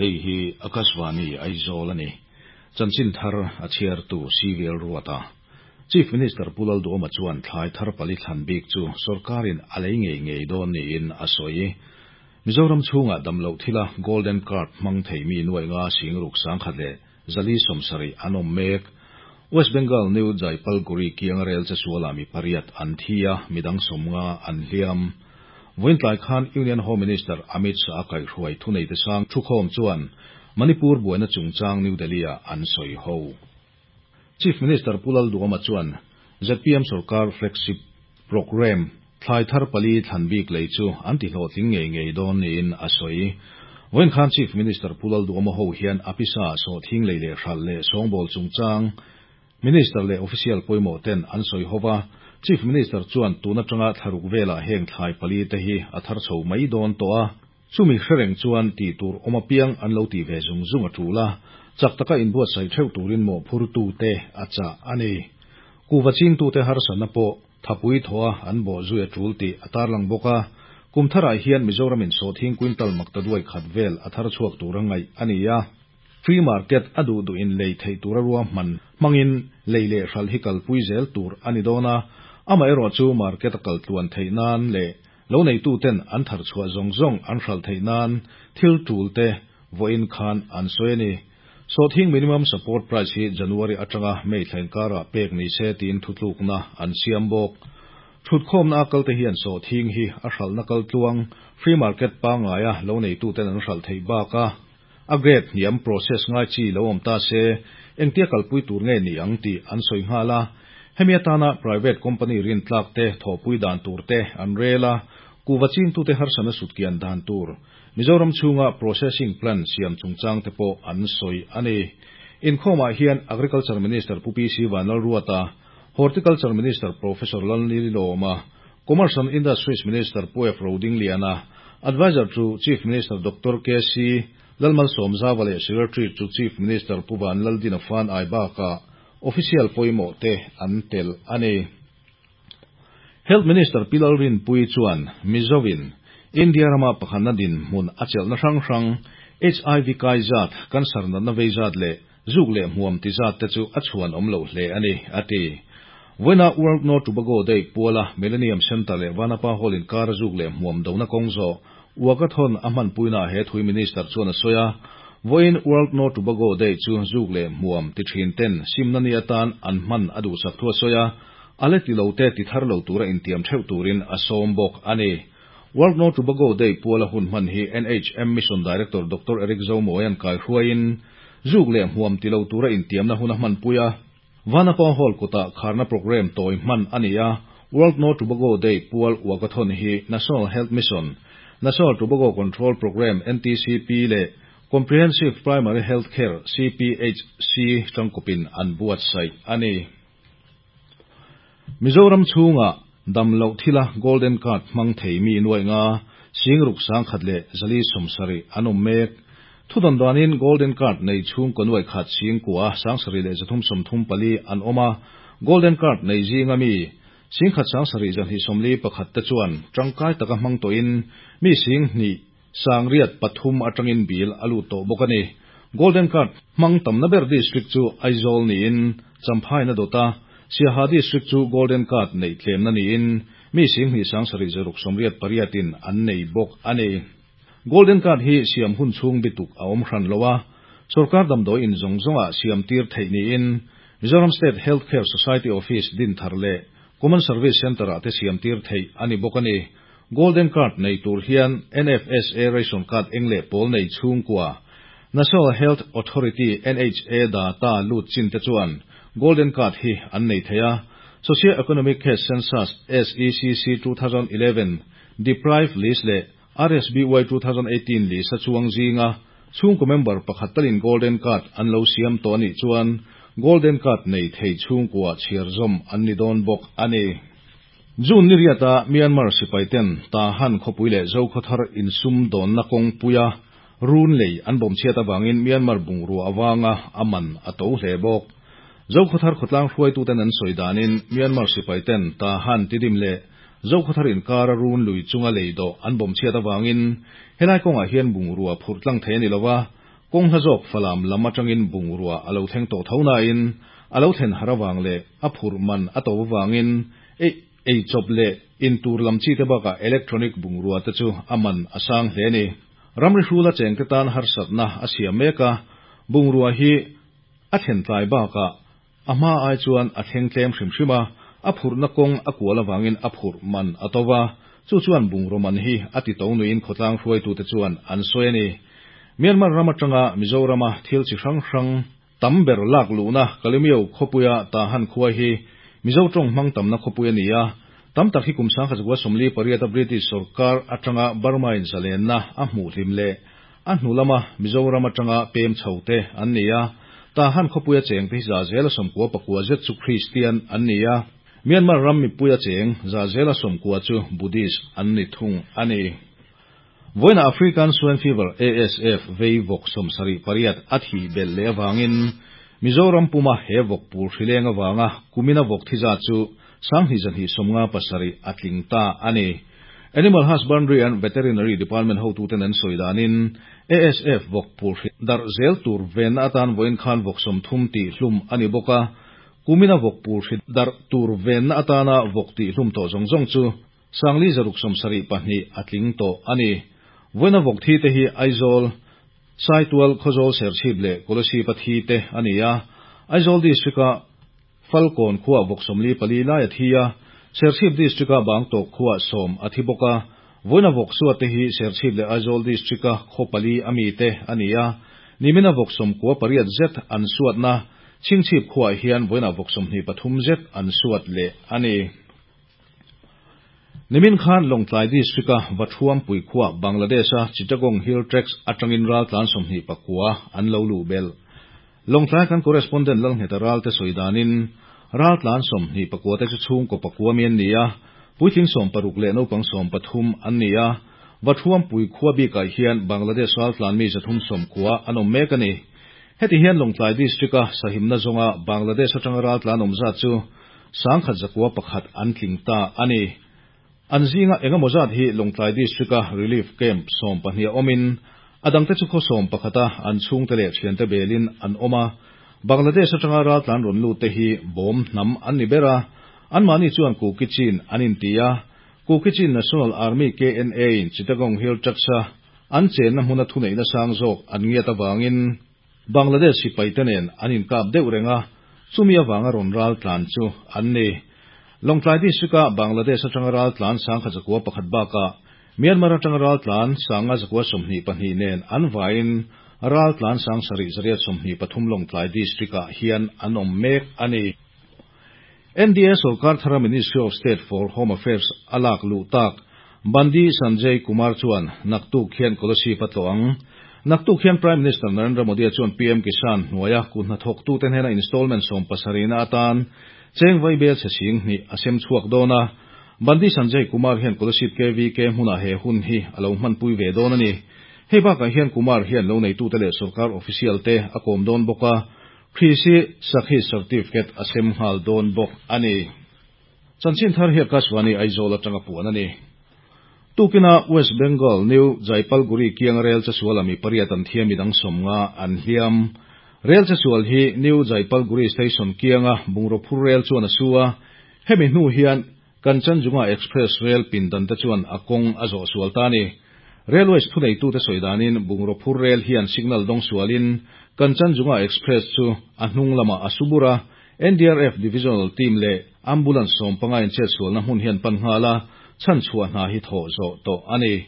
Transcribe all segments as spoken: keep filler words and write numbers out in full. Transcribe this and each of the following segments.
Hei hi Akashvani Aizawl a ni. Chanchin thar a chhiartu C V L Ruata. Chief Minister Pu Lalduhoma chuan thlai thar pali thlan bik chu sorkarin a lei ngei ngei dawn niin a sawi. Mizoram chhungah damloh thila Golden Card hmang thei mi nuai nga singruk sangkhat leh zali sawmsarih an awm mek. West Bengal New Jalpaiguri kianga rel chesuala mi pariat an thi a, midang sawmnga an hliam. Vawiin tlai khan Union Home Minister Amit Shah a kaihhruai thuneite sang thukhawm chuan Manipur buaina chungchang New Delhi-ah an sawi ho. Chief Minister Pu Lalduhoma chuan Z P M sorkar flagship programme thlai thar pali thlan bik lei chu an tihlawhtling ngei ngei dawn niin a sawi. Vawiin khan Chief Minister Pu Lalduhoma ho hian a pisa sawhthing lei leh hralh leh sawngbawl chungchang Minister leh official pawimawh ten an sawi hova. Chief Minister chuan tun atanga thlaruk velah heng thlai pali te hi a thar chho mai dawn tawh a, chumi hrereng chuan tih tur awm apiang an lo ti ve zung zung a tul a, chak taka inbuatsaih theuh turin mawhphurtu te a chah a ni. Kuhva chingtute harsatna pawh thapui thaw a an bawh zui a tul tih a tarlang bawk a. Kum tharah hian Mizoramin sawhthing quintal maktaduai khat vel a thar chhuak tur a ngaih a ni a. Free market a duh duhin lei theih tura ruahman hmangin lei leh hralh hi kalpui zel tur a ni dawn a, amaherawhchu market a kal tluan theih nan leh lo neituten an thar chhuah zawng zawng an hralh theih nan thil tul te vawiin khan an sawi a ni. Sawhthing minimum support price hi January atanga May thla inkarah pek ni se tiin thutlukna an siam bawk. Thutkhawmna a kalte hian sawhthing hi a hralhna kal tluang free market pangaia lo neituten an hralh theih baka a grade hniam process ngai chi lo awm ta se engtia kalpui tur nge ni ang tih an sawi nghal a. Hemi atana private company rin tlak te thawhpui dan tur te an rel a, kuhva chingtute harsatna sutkian dan tur Mizoram chhunga processing plant siam chungchang te pawh an sawi a ni. Inkhawmah hian Agriculture Minister Pu P C Vanlalruata, Horticulture Minister Professor Lalnilawma, Commerce and Industries Minister Pu F Rodingliana, Advisor to Chief Minister Doctor K C Lalmalsawmzauva leh Secretary to Chief Minister Pu Vanlaldina Fanai bakah official pawimawh te an tel a ni. Health Minister Pi Lalrinpuii chuan Mizovin India rama pakhatna dinhmun a chelhna hrang hrang H I V kai zat, cancer natna vei zat leh zuk leh hmuam ti zat te chu a chhuan awm lo hle a ni a ti. Vawiina World No Tobacco Day puala Millennium Centre leh Vanapa Hall inkar zuk leh hmuam dona kawng zawh walkathon a hmanpuina he thui Minister chuan a sawi a. Vawiin World No Tobacco Day chu zuk leh hmuam ti thin ten simna ni atan an hman a duhsak thu a sawi a, a la ti lo te ti thar lo tura intiam theuh turin a sawm bawk a ni. World No Tobacco Day puala hun hman hi N H M Mission Director Doctor Eric Zomoyan kai hruaiin zuk leh hmuam ti lo tura intiamna hun a hmanpui a. Vanapa Hall kawta kharna program tawi hman a ni a. World No Tobacco Day pual walkathon hi National Health Mission, National Tobacco Control Program N T C P leh Comprehensive Primary Health Care C P H C tangkupin an buatsaih a ni. Mizoram chhunga damloh thila Golden Card hmang thei mi nuai nga singruk sangkhat leh zali sawmsarih an awm mek. Thudawn danin Golden Card nei chhungkaw nuai khat singkua sangsarih leh zathum sawmthum pali an awm a. Golden Card nei zinga mi singkhat sangsarih zahnih sawmli pakhat te chuan tangkai taka hmang tawhin mi singhnih sangriat pathum atangin bill a lut tawh bawk a ni. Golden Card hmang tamna ber district chu Aizawl niin Champhai na dawta Siaha district chu Golden Card nei tlemna niin mi singhnih sangsarih zaruk sawmriat pariatin an nei bawk a ni. Golden Card hi siam hun chhung bituk a awm hran lo a, sorkar damdawi in zawng zawnga siam tir theih niin Mizoram State Health Care Society Office din thar leh Common Service Centre ah te siam tir theih a ni bawk a ni. Golden Card nei tur hian N F S A ration card eng leh pawl nei chhungkua National Health Authority N H A data lut chin te chuan Golden Card hi an nei thei a. Socio-Economic Caste Census S E C C twenty eleven Deprived List leh R S B Y twenty eighteen list a chuang zinga chhungkaw member pakhat talin Golden Card an lo siam tawh anih chuan Golden Card nei thei chhungkua chhiar zawm an ni dawn bawk a ni. June ni riata Myanmar sipai ten Tahan khawpui leh Zokhawthar insum dawnna kawngpuia run lei an bawm chhiat awangin Myanmar bungrua awanga a man a to hle bawk. Zokhawthar khawtlang hruaituten an sawi danin Myanmar sipai ten Tahan Tidim leh Zokhawthar inkara run lui chunga lei dawh an bawm chhiat awangin helai kawngah hian bungrua phurh tlang thei a ni lova. Kawng hla zawk Falam lam atangin bungrua a lo thleng tawh tho nain a lo thlen har avang leh a phurh man a to avangin ei ei chawp leh in tur lam chi te bakah electronic bungrua te chu a man a sang hle a ni. Ramri hrula chengte tan harsatna a siam mek a, bungrua hi a thlen tlai bakah a hma ai chuan a thleng tlem hrim hrim a, a phurhna kawng a kual avangin a phurh man a to va, chu chuan bungraw man hi a ti to nuin khawtlang hruaitute chuan an sawi a ni. Myanmar ram atanga Mizorama thil chi hrang hrang tam ber lak luhna Kalemyo khawpuia Tahan khua hi Mizo tawng hmang tamna khawpui a ni a, tam tak hi kum sangkhat zakua sawmli pariata British sorkar atanga Burma in zalenna a hmuh hlim leh a hnu lama Mizoram atanga pem chho te an ni a, Tahan khawpuia cheng te hi za zela sawmkua pakua zet chu Kristian an ni a, Myanmar ram mipuia cheng za zela sawmkua chu Buddhist an ni thung a ni. Vawiina African Swine Fever, A S F, vei vawk sawmsarih pariat a thih belh leh avangin Mizoram puma he vawk pul hrileng avanga kumina vawk thi zat chu sanghnih zahnih sawmnga pasarih a tling ta a ni. Animal Husbandry and Veterinary Department hotuten an sawi danin A S F vawk pul hri darh zel tur venna atan vawiin khan vawk sawmthum tih hlum a ni bawk a, kumina vawk pul hri darh tur venna atana vawk tih hlum tawh zawng zawng chu sangli zaruk sawmsarih pahnih a tling tawh a ni. Vawiina vawk thi te hi Aizawl, Saitual, Khawzawl, Serchhip leh Kolasib a thi te a ni a. Aizawl District-a Falkawn khua vawk sawmli pali lai a thi a, Serchhip District-a Bangtawk khua sawm a thi bawk a. Vawiina vawk suat te hi Serchhip leh Aizawl District-a khaw pali a mi te a ni a. Nimina vawk sawmkua pariat zet an suatna Chhingchhip khuaah hian vawiina vawk sawmhnih pathum zet an suat leh a ni. Nimin khan Lawngtlai District-a Vathuampui khua Bangladesh-a Chittagong Hill Tracts atangin raltlan sawmhnih pakua an lo luh belh. Lawngtlai kan correspondent Lalngheta Ralte sawi danin raltlan sawmhnih pakua te chu chhungkaw pakua mi an ni a, puitling sawm paruk leh naupang sawm pathum an ni a. Vathuampui khua bikah hian Bangladesh raltlan mi zathum sawmkua an awm mek a ni. Heti hian Lawngtlai District-a sahimna zawnga Bangladesh atanga raltlan awm zat chu sangkhat zakua pakhat an tling ta a ni. An zinga engemaw zat hi Lawngtlai District-a relief camp sawm pahnih a awmin a dangte chu khaw sawm pakhata an chhungte leh thiante belin an awm a. Bangladesh atanga raltlan rawn lut te hi Bawm hnam an ni ber a, anmahni chuan Kuki Chin an inti a. Kuki Chin National Army, K N A, in Chittagong Hill Tracts-a an chenna hmuna thuneihna sang zawk an ngiat avangin Bangladesh sipaite nen an inkap deuh reng a, chumi avanga rawn raltlan chu an ni. Lawngtlai District-a Bangladesh atanga raltlan sangkhat zakua pakhat bakah Myanmar atanga raltlan sanga zakua sawmhnih pahnih nen an vaiin raltlan sang sarih zariat sawmhnih pathum Lawngtlai District-ah hian an awm mek a ni. N D A sorkar thara Ministry of State for Home Affairs a lak luh tak Bandi Sanjay Kumar chuan naktuk hian Kolasib a tlawh ang. Naktuk hian Prime Minister Narendra Modi chuan P M Kisan hnuaia kut hnathawktute hnena installment sawm pasarihna atan cheng vaibelchhe sing hnih a sem chhuak dawn a. Bandi Sanjay Kumar hian Kolasib K V K hmunah he hun hi a lo hmanpui ve dawn a ni. Hei bakah hian Kumar hian lo neitute leh sorkar official te a kawm dawn bawk a, Krishi Sakhi certificate a sem nghal dawn bawk a ni. Chanchin thar hi Akashvani Aizawl atanga puan a ni. Tukina West Bengal New Jalpaiguri kianga rel chesual ah mi pariat an thi a, midang sawmnga an hliam. Rel chesual hi New Jalpaiguri Station kianga bungraw phur rel chuan a su a, hemi hnu hian Kanchanjunga Express rel pindan te chuan a kawng a zawh sual ta ni. Railways thuneitute sawi danin bungraw phur rel hian signal dawng sualin Kanchanjunga Express chu a hnung lamah a su bur a. N D R F divisional team leh ambulance sawm panga in chet sualna hmun hian pan nghal a, chhan chhuah hna hi thawh zawh tawh a ni.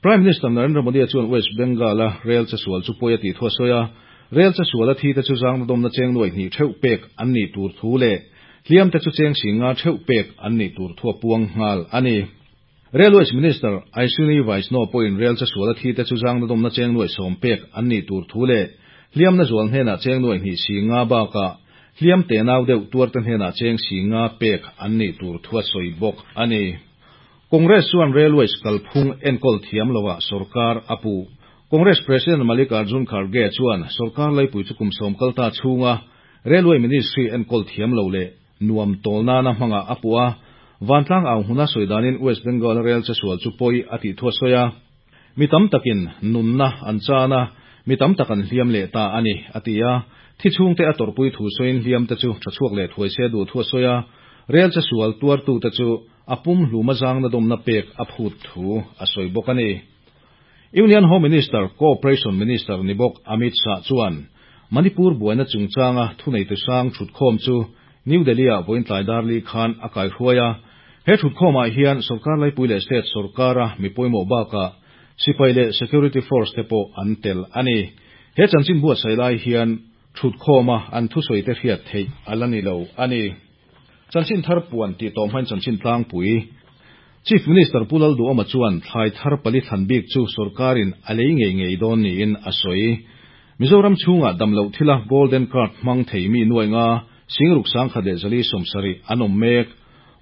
Prime Minister Narendra Modi chuan West Bengal a rel chesual chu pawi a tih thu a sawi a, rel chesual a thi te chu zangna dawmna cheng nuai hnih theuh pek an nih tur thu leh hliam te chu cheng singa theuh pek an nih tur thu a puang nghal a ni. Railways Minister Ashwini Vaishnaw pawhin rel chesual a thi te chu zangna dawmna cheng nuai sawm pek an nih tur thu leh hliamna zual hnenah cheng nuai hnih singa bakah hliam te nau deuh tuar te hnenah cheng singa pek an nih tur thu a sawi bawk a ni. Congress chuan Railways kalphung enkawl thiam loah sorkar a puh. Congress President Mallikarjun Kharge chuan sorkar laipui chu kum sawm kalta chhunga Railway Ministry enkawl thiam lo leh nuam tawl nana hmanga a puh a. Vantlang ang huna sawi danin West Bengal rail chesual chu pawi a tih thu a sawi a. Mi tam takin nunna an chana Mi tam tak an hliam leh ta a ni, a ti a. Thi chhungte a tawrhpui thu sawiin hliamte chu tha chhuak leh thuai se duh thu a sawi a. Rel chesual tuartute chu a pumhluma zangnadawmna pek a phut thu a sawi bawk a ni. Union Home Minister, Cooperation Minister ni bawk Amit Shah chuan Manipur buaina chungchanga thuneitu sang thutkhawm chu New Delhi-ah vawiin tlai dar li khan a kaihruai a. He thutkhawmah hian sorkar laipui leh state sorkara mi pawimawh bakah sipai leh security force te pawh an tel a ni. He chanchin buatsaih lai hian thutkhawma an thusawite hriat theih a la ni lo a ni. Chanchin thar puan tih tawh hmain chanchin tlangpui. Chief Minister Pu Lalduhoma chuan thlai thar pali thlan bik chu sorkarin a lei ngei ngei dawn niin a sawi. Mizoram chhungah damloh thila Golden Card hmang thei mi nuai nga Singruk sangkhat leh zali sawmsarih an awm mek.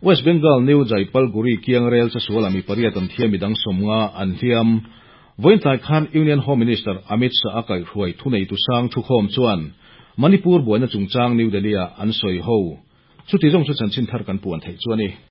West Bengal New Jalpaiguri kiang rel chesuala mi pariat an thi a midang sawmnga an hliam. Vawiin tlai khan Union Home Minister Amit Shah a kaihhruai thuneitu sang thukhawm chuan Manipur buaina chungchang New Delhi-ah an sawi ho. Chuti zawng chu chanchin thar kan puan theih chu a ni.